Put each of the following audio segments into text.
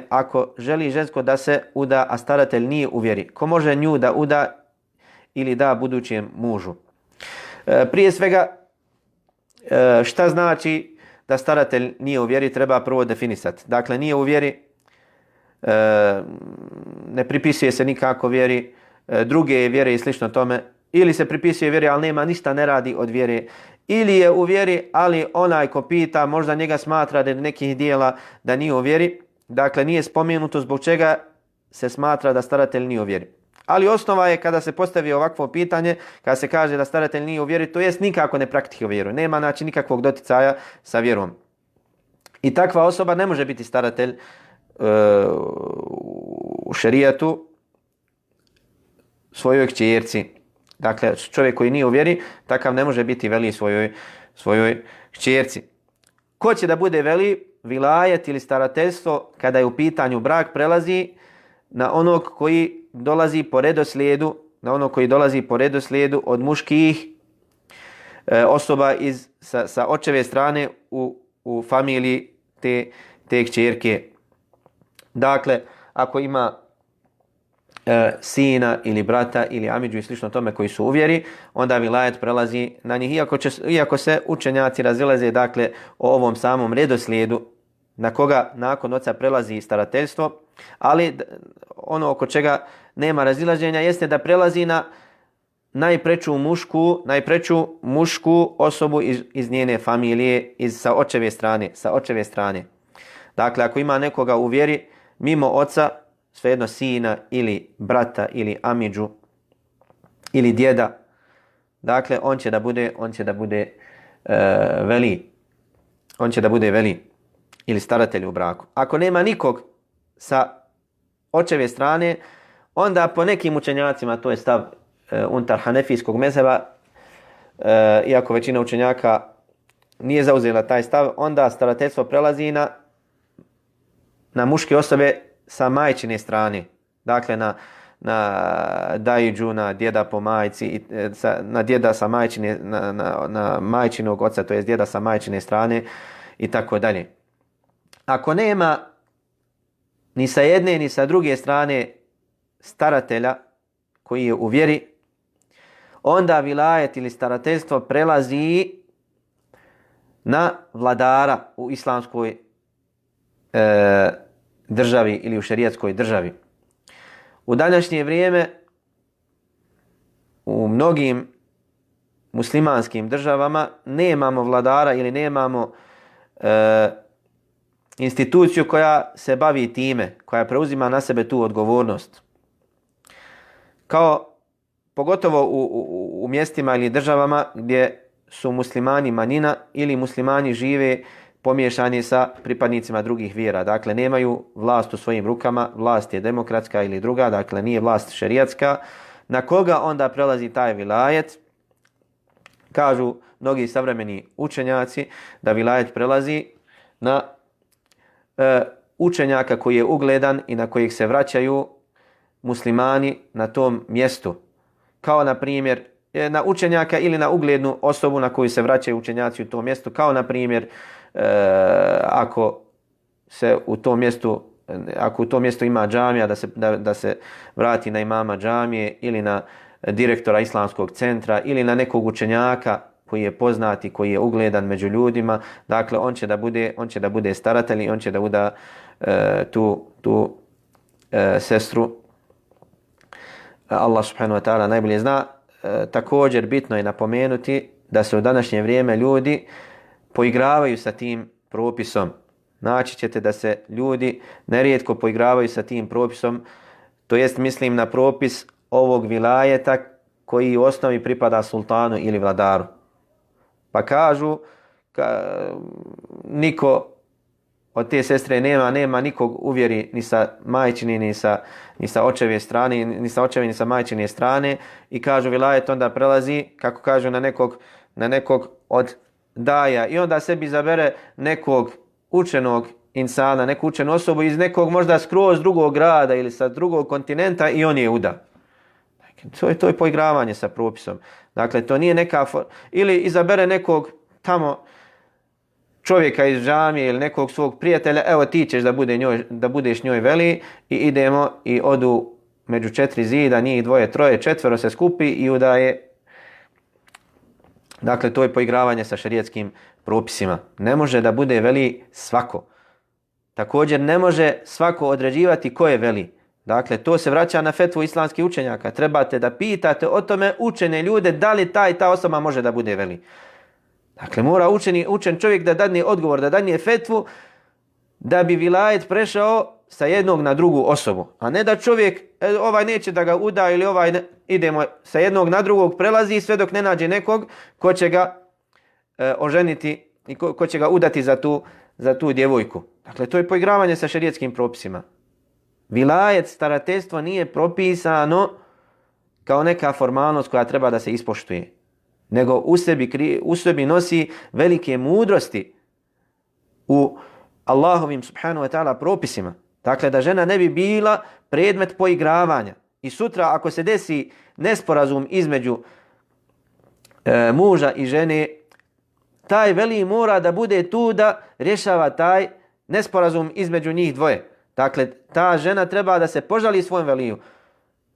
ako želi žensko da se uda, a staratelj nije u vjeri. Ko može nju da uda ili da budućem mužu? Prije svega, šta znači da staratelj nije u vjeri, treba prvo definisati. Dakle, nije u vjeri, ne pripisuje se nikako vjeri, druge vjere i slično tome, ili se pripisuje vjeri, ali nema ništa, ne radi od vjere, ili je u vjeri, ali onaj ko pita, možda njega smatra da nekih dijela da nije u vjeri. Dakle, nije spomenuto zbog čega se smatra da staratelj nije u vjeri. Ali osnova je kada se postavi ovakvo pitanje, kada se kaže da staratelj nije u vjeri, to jest nikako ne praktikuje vjeru. Nema znači nikakvog doticaja sa vjerom. I takva osoba ne može biti staratelj u šerijatu svojoj kćerci. Dakle, čovjek koji nije u vjeri, takav ne može biti veli svojoj kćerci. Ko će da bude veli? Vilajet ili starateljstvo, kada je u pitanju brak, prelazi na onog koji dolazi po redoslijedu, od muških osoba sa očeve strane u familiji te kćerke. Dakle, ako ima sina ili brata ili amidžu i slično tome koji su u vjeri, onda vilajet prelazi na njih. Iako se učenjaci razilaze, dakle, o ovom samom redoslijedu na koga nakon oca prelazi starateljstvo, ali ono oko čega nema razilaženja jeste da prelazi na najpreču mušku osobu iz njene familije, sa očeve strane. Dakle, ako ima nekoga u vjeri mimo oca, svejedno sina ili brata ili amidžu ili djeda, dakle on će da bude veli. On će da bude veli ili staratelj u braku. Ako nema nikog sa očeve strane, onda po nekim učenjacima, to je stav unutar hanefijskog mezheba, iako većina učenjaka nije zauzela taj stav, onda starateljstvo prelazi na muške osobe sa majčine strane. Dakle, na dajidžu, na djeda po majci, na djeda sa majčine, na majčinog oca, to je djeda sa majčine strane i tako dalje. Ako nema ni sa jedne ni sa druge strane staratelja koji je u vjeri, onda vilajet ili starateljstvo prelazi na vladara u islamskoj državi ili u šerijatskoj državi. U današnje vrijeme u mnogim muslimanskim državama nemamo vladara ili nemamo instituciju koja se bavi time, koja preuzima na sebe tu odgovornost. Pogotovo u mjestima ili državama gdje su muslimani manjina ili muslimani žive pomiješani sa pripadnicima drugih vjera. Dakle, nemaju vlast u svojim rukama, vlast je demokratska ili druga, dakle nije vlast šerijatska. Na koga onda prelazi taj vilajet? Kažu mnogi savremeni učenjaci da vilajet prelazi na učenjaka koji je ugledan i na kojeg se vraćaju muslimani na tom mjestu. Kao na primjer na učenjaka ili na uglednu osobu na koju se vraćaju učenjaci u tom mjestu. Kao na primjer ako u tom mjestu ima džamija, da se vrati na imama džamije ili na direktora islamskog centra ili na nekog učenjaka koji je poznat i koji je ugledan među ljudima. Dakle, on će da bude staratelj i on će da uda tu sestru. Allah subhanahu wa ta'ala najbolje zna. Također bitno je napomenuti da se u današnje vrijeme ljudi poigravaju sa tim propisom. Naći ćete da se ljudi nerijetko poigravaju sa tim propisom, to jest mislim na propis ovog vilajeta koji u osnovi pripada sultanu ili vladaru. Pa kažu niko od te sestre nema nikog uvjeri ni sa majčine ni sa očeve strane, ni sa očeve ni sa majčine strane, i kažu vilajet onda prelazi, kako kažu, na nekog od daja, i onda sebi zabere nekog učenog insana, neku učenu osobu iz nekog možda skroz drugog grada ili sa drugog kontinenta i on je uda. To je poigravanje sa propisom. Dakle, to nije neka... Ili izabere nekog tamo čovjeka iz džamije ili nekog svog prijatelja, evo ti ćeš da budeš njoj veli, i idemo i odu među 4 zida, njih 2, 3, 4 se skupi i udaje. Dakle, to je poigravanje sa šerijetskim propisima. Ne može da bude veli svako. Također ne može svako određivati ko je veli. Dakle, to se vraća na fetvu islamskih učenjaka. Trebate da pitate o tome učene ljude da li ta osoba može da bude veli. Dakle, mora učen čovjek da dadne odgovor, da dadne fetvu, da bi vilajet prešao sa jednog na drugu osobu. A ne da čovjek, ovaj neće da ga uda ili ovaj idemo sa jednog na drugog, prelazi sve dok ne nađe nekog ko će ga oženiti i ko će ga udati za tu djevojku. Dakle, to je poigravanje sa šerijetskim propisima. Vilajet, starateljstvo nije propisano kao neka formalnost koja treba da se ispoštuje, nego u sebi nosi velike mudrosti u Allahovim subhanahu wa ta'ala propisima. Dakle, da žena ne bi bila predmet poigravanja. I sutra ako se desi nesporazum između muža i žene, taj veli mora da bude tu da rješava taj nesporazum između njih dvoje. Dakle, ta žena treba da se požali svojom veliju.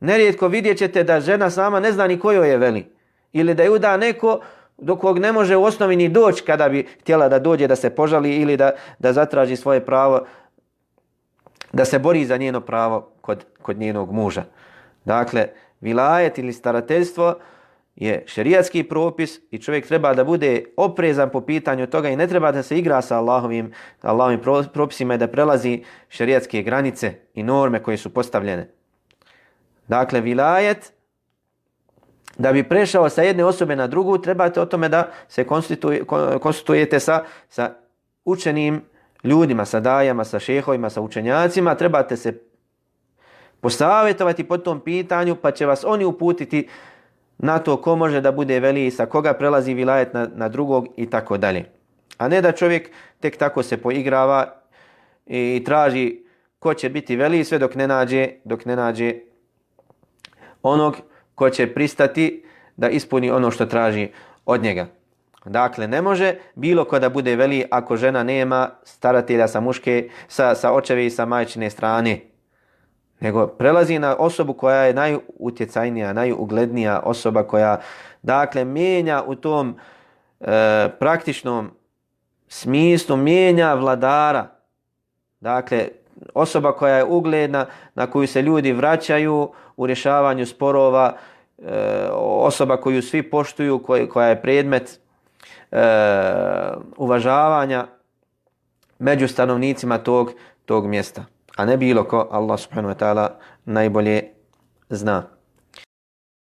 Nerijetko vidjet ćete da žena sama ne zna ni kojoj je veli. Ili da je uda neko do kog ne može u osnovi ni doći kada bi htjela da dođe da se požali ili da zatraži svoje pravo, da se bori za njeno pravo kod njenog muža. Dakle, vilajet ili starateljstvo je šerijatski propis i čovjek treba da bude oprezan po pitanju toga i ne treba da se igra sa Allahovim propisima i da prelazi šerijatske granice i norme koje su postavljene. Dakle, vilajet, da bi prešao sa jedne osobe na drugu, trebate o tome da se konstitujete sa učenim ljudima, sa dajama, sa šehovima, sa učenjacima. Trebate se posavjetovati po tom pitanju, pa će vas oni uputiti na to ko može da bude veli, sa koga prelazi vilajet na drugog i tako dalje. A ne da čovjek tek tako se poigrava i traži ko će biti veli sve dok ne nađe onog ko će pristati da ispuni ono što traži od njega. Dakle, ne može bilo ko da bude veli ako žena nema staratelja sa očeve i sa majčine strane. Nego prelazi na osobu koja je najutjecajnija, najuglednija osoba koja, dakle, mijenja u tom praktičnom smislu, mijenja vladara. Dakle, osoba koja je ugledna, na koju se ljudi vraćaju u rješavanju sporova, osoba koju svi poštuju, koja je predmet uvažavanja među stanovnicima tog mjesta. A ne bilo ko, Allah subhanahu wa ta'ala najbolje zna.